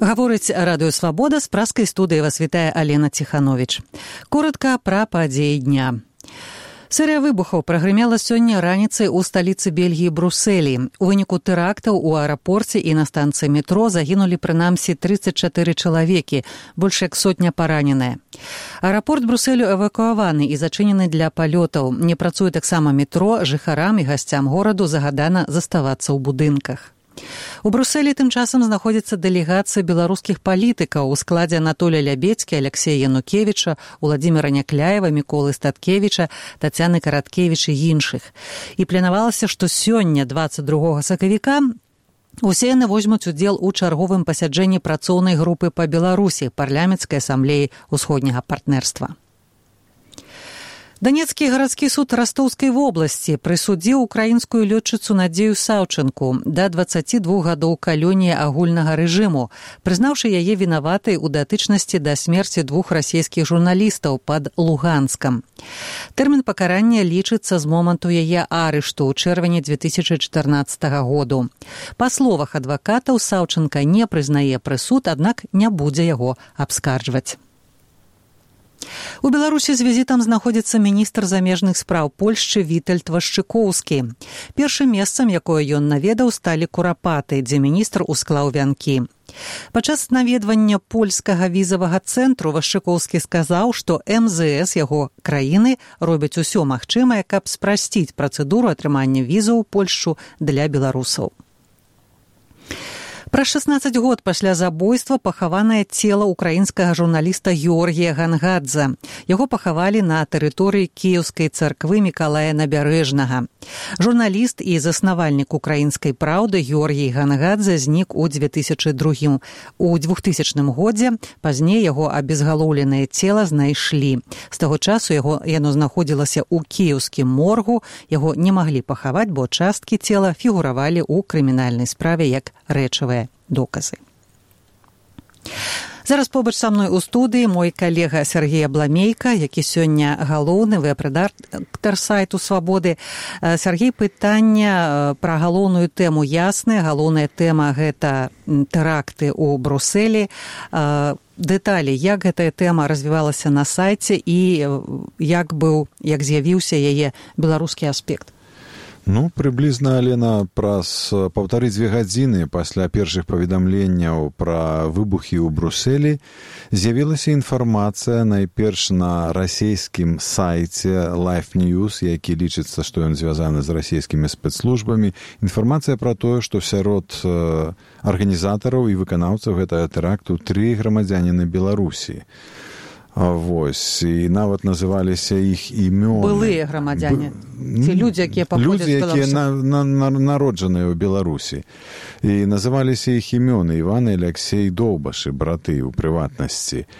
Гаворыць Радыё Свабода, з праскай студыі вас вітае Алена Ціхановіч. Коротка пра падзеі дня. Серыя выбухаў прагрымела сёння раніцай у сталіцы Бельгіі Брусэлі. У выніку тэрактаў у аэрапорце і на станцыі метро загінулі прынамсі 34 чалавекі, больш як сотня параненыя. Аэрапорт Брусэлю эвакуаваны і зачынены для палётаў. Не працуе таксама метро, жыхарам і гасцям гораду загадана заставацца ў будынках. У Брусэлі тым часам знаходзіцца дэлегацыя беларускіх палітыкаў у складзе Анатолія Лябедзькі, Аляксея Янукевіча, Уладзіміра Някляева, Міколы Статкевіча, Тацяны Караткевіч і іншых. І планавалася, што сёння, 22 сакавіка, усе яны возьмуць удзел у чарговым пасяджэнні працоўнай групы па Беларусі парламенцкай асамблеі ўсходняга партнерства. Данецкі гарадскі суд Растоўскай вобласці прысудзіў украінскую лётчыцу Надзею Саўчынку да 22 гадоў калоніі агульнага рэжыму, прызнаўшы яе вінаватай у датычнасці да смерці двух расійскіх журналістаў пад Луганскам. Тэрмін пакарання лічыцца з моманту яе арышту ў чэрвені 2014 году. Па словах адвакатаў, Саўчынка не прызнае прысуд, аднак не будзе яго абскарджваць. У Беларусі з візітам знаходзіцца міністр замежных спраў Польшчы Вітальд Вашчыкоўскі. Першым месцам, якое ён наведаў, сталі Курапаты, дзе міністр усклаў вянкі. Падчас наведвання польскага візавага цэнтру Вашчыкоўскі сказаў, што МЗС яго краіны робяць усё магчымае, каб спрасціць працэдуру атрымання візаў у Польшчу для беларусаў. Праз 16 год пасля забойства пахаванае цела украінскага журналіста Георгія Гангадзе. Яго пахавалі на тэрыторыі Кіеўскай царквы Мікалая Набярэжнага. Журналіст і заснавальнік украінскай праўды Георгій Гангадзе знік у 2000 годзе. Пазней яго абезгалоўленае цела знайшлі. З таго часу яно знаходзілася ў кіеўскім моргу. Яго не маглі пахаваць, бо часткі цела фігуравалі ў крымінальнай справе як рэчавыя доказы. Зараз побач са мной у студыі мой калега Сергей Абламейка, які сёння галоўны вэб-рэдактар сайту Свабоды. Сергей, пытання пра галоўную тэму ясныя. Галоўная тэма – гэта тэракты ў Брусэлі. Дэталі, як гэтая тэма развівалася на сайце і як з'явіўся яе беларускі аспект? Прыблізна, Алена, праз 1,5-2 гадзіны пасля першых паведамленняў пра выбухі ў Брусэлі з'явілася інфармацыя найперш на расійскім сайце Life News, які лічыцца, што ён звязаны з расійскімі спецслужбамі. Інфармацыя пра тое, што сярод арганізатараў і выканаўцаў гэтага тэракту 3 грамадзяніны Беларусі. І нават называліся іх імёны. Былыя грамадзяне. Ці людзі, якія паходзяць з Беларусі. Людзі, якія народжаныя ў Беларусі. І называліся іх імёны Іван і Аляксей Доўбашы, браты ў прыватнасці.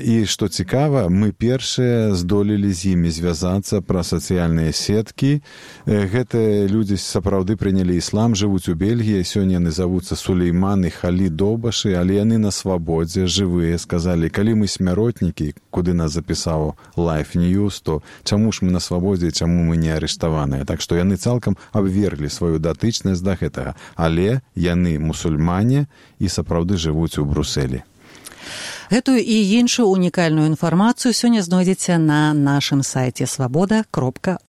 І, што цікава, мы першыя здолелі з імі звязацца пра сацыяльныя сеткі. Гэтыя людзі сапраўды прынялі іслам, жывуць у Бельгіі. Сёння яны завуцца Сулейман і Халі Доўбашы, але яны на свабодзе, жывыя. Сказалі, калі мы смяротнікі, куды нас запісаў Life News, то чаму ж мы на свабодзе, чаму мы не арыштаваныя. Так што яны цалкам абверглі сваю датычнасць да гэтага. Але яны мусульмане і сапраўды жывуць у Брусэлі. Гэтую і іншую унікальную інфармацыю сёння знойдзеце на нашым сайце свабода.орг.